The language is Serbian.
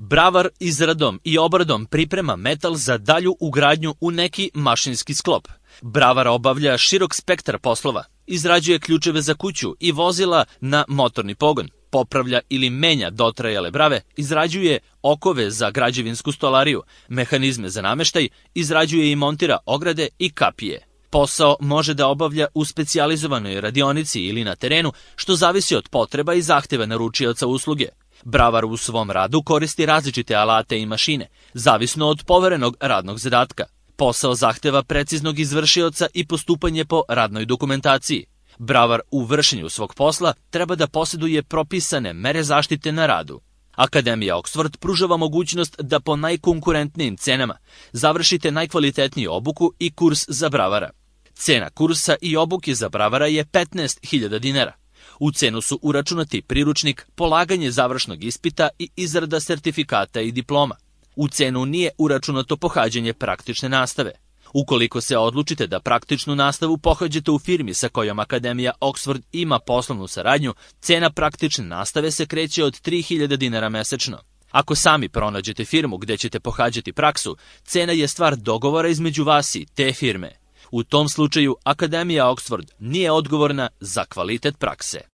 Bravar izradom i obradom priprema metal za dalju ugradnju u neki mašinski sklop. Bravar obavlja širok spektar poslova, izrađuje ključeve za kuću i vozila na motorni pogon, popravlja ili menja dotrajale brave, izrađuje okove za građevinsku stolariju, mehanizme za nameštaj, izrađuje i montira ograde i kapije. Posao može da obavlja u specijalizovanoj radionici ili na terenu, što zavisi od potreba i zahteva naručioca usluge. Bravar u svom radu koristi različite alate i mašine, zavisno od poverenog radnog zadatka. Posao zahteva preciznog izvršioca i postupanje po radnoj dokumentaciji. Bravar u vršenju svog posla treba da posjeduje propisane mere zaštite na radu. Akademija Oxford pružava mogućnost da po najkonkurentnijim cenama završite najkvalitetniju obuku i kurs za bravara. Cena kursa i obuke za bravara je 15.000 dinara. U cenu su uračunati priručnik, polaganje završnog ispita i izrada sertifikata i diploma. U cenu nije uračunato pohađanje praktične nastave. Ukoliko se odlučite da praktičnu nastavu pohađate u firmi sa kojom Akademija Oxford ima poslovnu saradnju, cena praktične nastave se kreće od 3.000 dinara mesečno. Ako sami pronađete firmu gde ćete pohađati praksu, cena je stvar dogovora između vas i te firme. U tom slučaju Akademija Oxford nije odgovorna za kvalitet prakse.